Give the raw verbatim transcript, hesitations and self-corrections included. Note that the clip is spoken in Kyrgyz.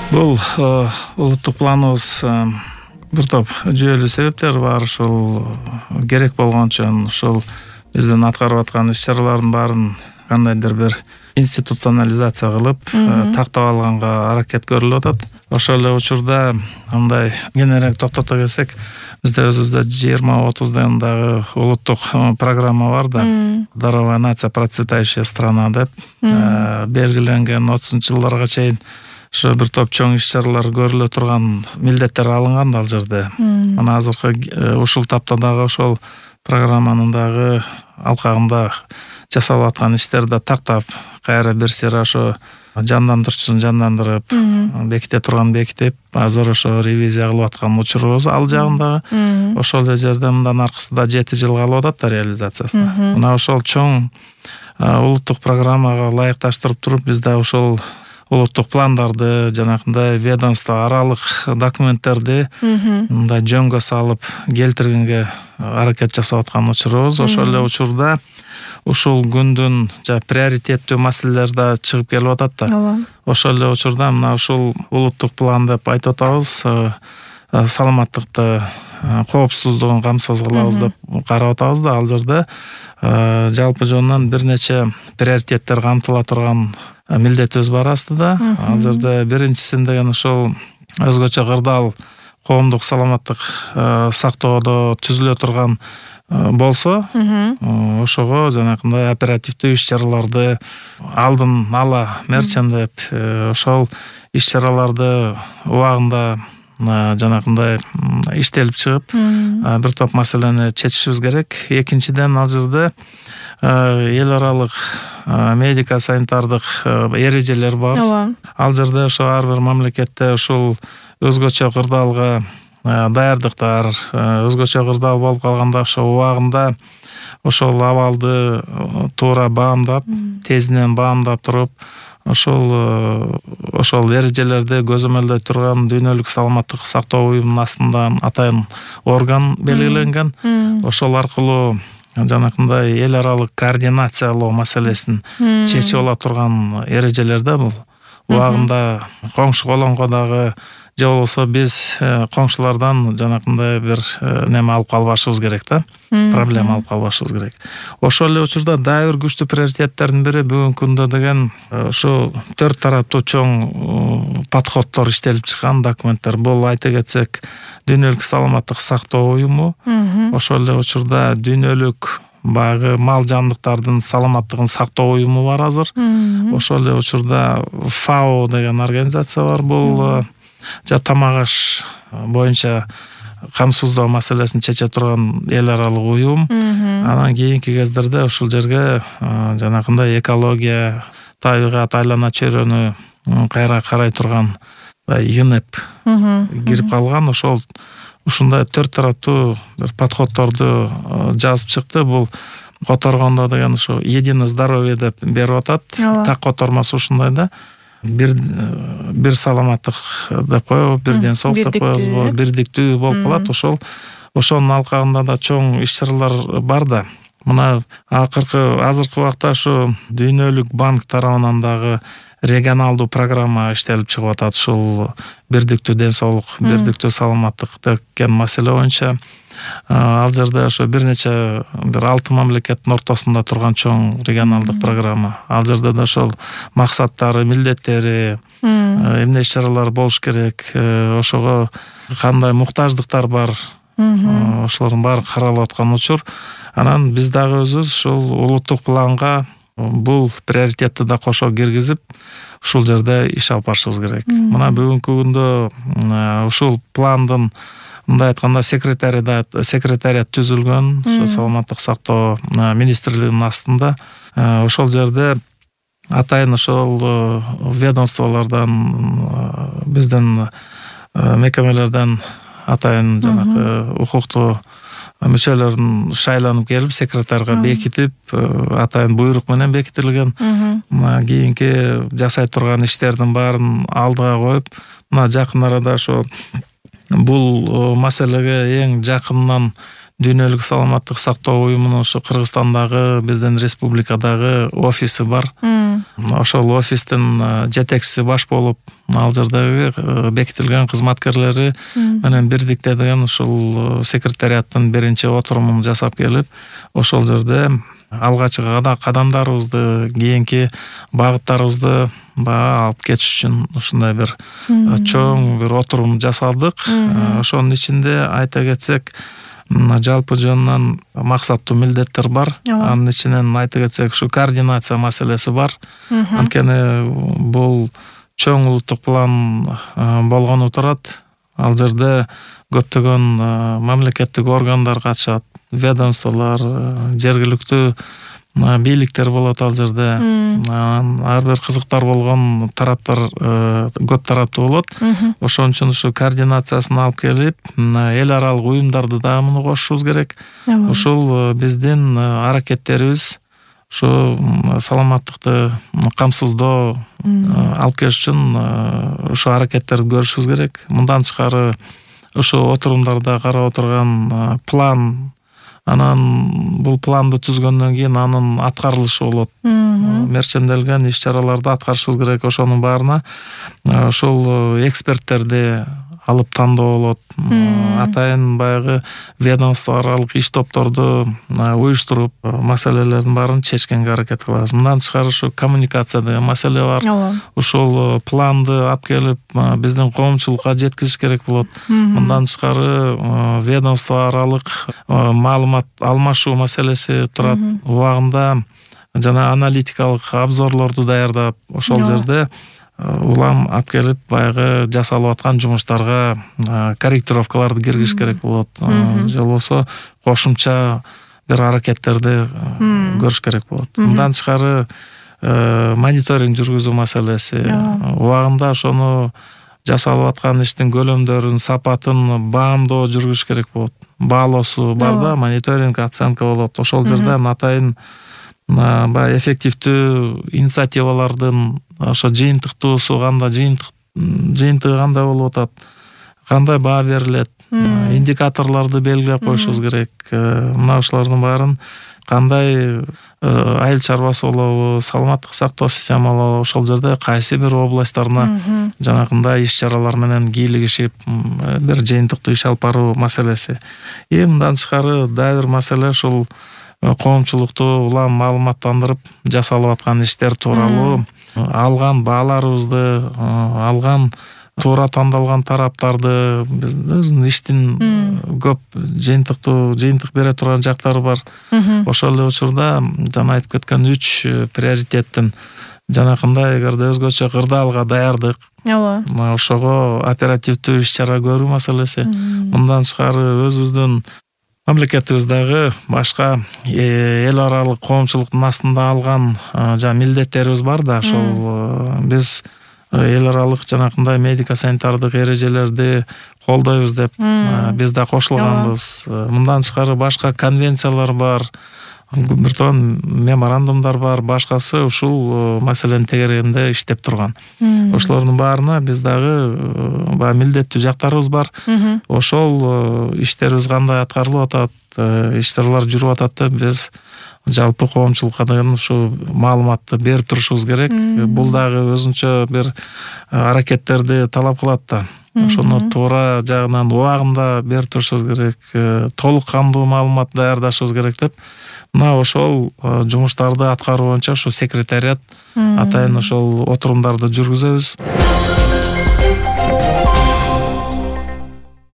Бул улуттук планыбыз бир топ жүйөлүү себептери бар. Ушул керек болгон үчүн ушул биздин аткарып аткан иш-чаралардын баарын кандайдыр бир институционализация кылып тактап алганга аракет көрүлүп атат. Ошол эле учурда мындай кененирээк токтото келсек, бизде өзүбүздө жыйырма отуз дагы улуттук программа бар да. Здоровая нация, процветающая страна деп белгиленген отузунчу жылдарга чейин ошо бир топ чоң иш-чаралар көрүлө турган милдеттер алынган да ал жерде. Мына азыркы ушул тапта дагы ошол программанын дагы алкагында жасалып аткан иштерди тактап кайра бир сыйра ошо жандандырчусун жандандырып, беките турган бекитип, азыр ошо ревизия кылып аткан учурубуз ал жагында. Ошол эле жерде мындан аркысында жети жыл калып атат да реализациясына. Мына ошол чоң улуттук программага ылайыкташтырып туруп, биз да ошол улуттук пландарды, жанакындай ведомство аралык документтерди мындай жөнгө салып келтиргенге аракет жасап аткан учурубуз. Ошол эле учурда ушул күндүн жа приоритеттүү маселелер да чыгып келип атат да. Ошол эле учурда мына ушул улуттук план деп айтып атабыз, саламаттыкты, коопсуздугун камсыз кылабыз деп карап атабыз да. Ал жерде жалпы жонунан бир нече приоритеттер камтыла турган милдетибиз бар астыда. Ал жерде биринчисин деген ошол өзгөчө кырдаал коомдук саламаттык сактоодо түзүлө турган болсо, ошого жанакындай оперативдүү иш-чараларды алдын ала мерчендеп, ошол иш-чараларды убагында жанакындай иштелип чыгып, бир топ маселени чечишибиз керек. Экинчиден, ал жерде эл аралык медико-санитардык эрежелер бар. Ал жерде ошо ар бир мамлекетте ушул өзгөчө кырдаалга даярдыктар, өзгөчө кырдаал болуп калганда ошо убагында ошол абалды туура баамдап, тезинен баамдап туруп, ошол ошол эрежелерди көзөмөлдөй турган дүйнөлүк саламаттык сактоо уюмунун астында атайын орган белгиленген. Ошол аркылуу жанакындай эл аралык координациялоо маселесин чечип ала турган эрежелерде бул. Убагында коңшу колонго дагы же болбосо биз коңшулардан жанакындай бир неме алып калбашыбыз керек да. Проблема алып калбашыбыз керек. Ошол эле учурда дагы бир күчтүү приоритеттердин бири бүгүнкү күндө деген ушу төрт тараптуу чоң подходдор иштелип чыккан документтер. Бул айта кетсек, дүйнөлүк саламаттык сактоо уюму, ошол эле учурда дүйнөлүк багы мал жандыктардын саламаттыгын сактоо уюму бар азыр. Ошол эле учурда ФАО деген организация бар. Бул жа тамак аш боюнча камсыздоо маселесин чече турган эл аралык уюм. Анан кийинки кездерде ушул жерге жанакындай экология, табигат, айлана чөйрөнү кайра карай турган ЮНЕП кирип калган. Ошол ушундай төрт тараптуу бир подходдорду жазып чыкты. Бул которгондо деген ушу единое здоровье деп берип атат. Так котормосу ушундай да. Бир бир саламаттык деп коебу, бир ден соолук деп коебузбу, бирдиктүү болуп калат. Ошол ошонун алкагында да чоң иш-чаралар бар да. Мына акыркы азыркы убакта ушу дүйнөлүк банк тарабынан дагы регионалдуу программа иштелип чыгып атат. Ушул бирдиктүү ден соолук, бирдиктүү саламаттык деген маселе боюнча. Ал жерде ошо бир нече бир алты мамлекеттин ортосунда турган чоң регионалдык программа. Ал жерде да ошол максаттары, милдеттери, эмне иш-чаралар болуш керек, ошого кандай муктаждыктар бар, ошолордун баары каралып аткан учур. Анан биз дагы өзүбүз ушул улуттук планга бул приоритетти да кошо киргизип, ушул жерде иш алып барышыбыз керек. Мына бүгүнкү күндө ушул пландын мындай айтканда секретариат секретариат түзүлгөн, ошо саламаттык сактоо министрлигинин астында. Ошол жерде атайын ошол ведомстволордон, биздин мекемелерден атайын жанагы укуктуу мүчөлөрүн шайланып келип, секретарга бекитип, атайын буйрук менен бекитилген. Мына кийинки жасай турган иштердин баарын алдыга коюп, мына жакын арада ошо бул маселеге эң жакындан Дүйнөлүк саламаттык сактоо уюмунун ошо Кыргызстандагы биздин республикадагы офиси бар. Ошол офистин жетекчиси баш болуп, ал жердеги бекитилген кызматкерлери менен бирдикте деген ушул секретариаттын биринчи отурумун жасап келип, ошол жерде алгачкы кадамдарыбызды, кийинки багыттарыбызды баягы алып кетиш үчүн ушундай бир чоң бир отурум жасалдык. Ошонун ичинде айта кетсек, жалпы жөнүнөн максаттуу милдеттер бар. Анын ичинен айта кетсек, ушу координация маселеси бар. Анткени бул чоң улуттук план болгону турат. Ал жерде көптөгөн мамлекеттик органдар катышат, ведомстволор, жергиликтүү бийликтер болот ал жерде. Ар бир кызыктар болгон тараптар көп тараптуу болот. Ошон үчүн ушу координациясын алып келип, эл аралык уюмдарды дагы муну кошушубуз керек. Ушул биздин аракеттерибиз ушу саламаттыкты камсыздоо алып келиш үчүн ушу аракеттерди көрүшүбүз керек. Мындан тышкары ушу отурумдарда карап отурган план, анан бул планды түзгөндөн кийин анын аткарылышы болот. Мерченделген иш-чараларды аткарышыбыз керек. Ошонун баарына ошол эксперттерди алып тандоо болот. Атайын баягы ведомство аралык иш топторду уюштуруп, маселелердин баарын чечкенге аракет кылабыз. Мындан тышкары ушу коммуникация деген маселе бар. Ушул планды алып келип биздин коомчулукка жеткизиш керек болот. Мындан тышкары ведомство аралык маалымат алмашуу маселеси турат. Убагында жана аналитикалык обзорлорду даярдап, ошол жерде улам алып келип баягы жасалып аткан жумуштарга корректировкаларды киргизиш керек болот. Же болбосо кошумча бир аракеттерди көрүш керек болот. Мындан тышкары мониторинг жүргүзүү маселеси. Убагында ошону жасалып аткан иштин көлөмдөрүн, сапатын баамдоо жүргүзүш керек болот. Баалоосу бар да, мониторинг, оценка болот. Ошол жерден атайын баягы эффективдүү инициативалардын ошо жыйынтыктуусу кандай, жыйынтык жыйынтыгы кандай болуп атат, кандай баа берилет, индикаторлорду белгилеп коюшубуз керек. Мына ушулардын баарын кандай айыл чарбасы болобу, саламаттык сактоо системалары ошол жерде кайсы бир областтарына жанагындай иш-чаралар менен кийлигишип бир жыйынтыктуу иш алып баруу маселеси. И мындан тышкары дагы бир маселе ушул коомчулукту улам маалыматтандырып, жасалып аткан иштер тууралуу алган бааларыбызды, алган туура тандалган тараптарды, биздин иштин көп жыйынтыктуу жыйынтык бере турган жактары бар. Ошол эле учурда жана айтып кеткен үч приоритеттин жанакындай эгерде өзгөчө кырдаалга даярдык, ошого оперативдүү иш-чара көрүү маселеси. Мындан тышкары өзүбүздүн мамлекетибиздагы башка эл аралык коомчулуктун астында алган жана милдеттерибиз бар да, ошол биз эл аралык жанакындай медико-санитардык эрежелерди колдойбуз деп биз да кошулганбыз. Мындан тышкары башка конвенциялар бар, бир тон меморандумдар бар, башкасы ушул маселенин тегерегинде иштеп турган. Ошолордун баарына биз дагы баягы милдеттүү жактарыбыз бар. Ошол иштерибиз кандай аткарылып атат, иш-чаралар жүрүп атат деп биз жалпы коомчулукка деген ушу маалыматты берип турушубуз керек. Бул дагы өзүнчө бир аракеттерди талап кылат да. Ошону туура жагынан убагында берип турушубуз керек, толук кандуу маалымат даярдашыбыз керек деп. Мына ошол жумуштарды аткаруу боюнча ушу секретариат атайын ошол отурумдарды жүргүзөбүз.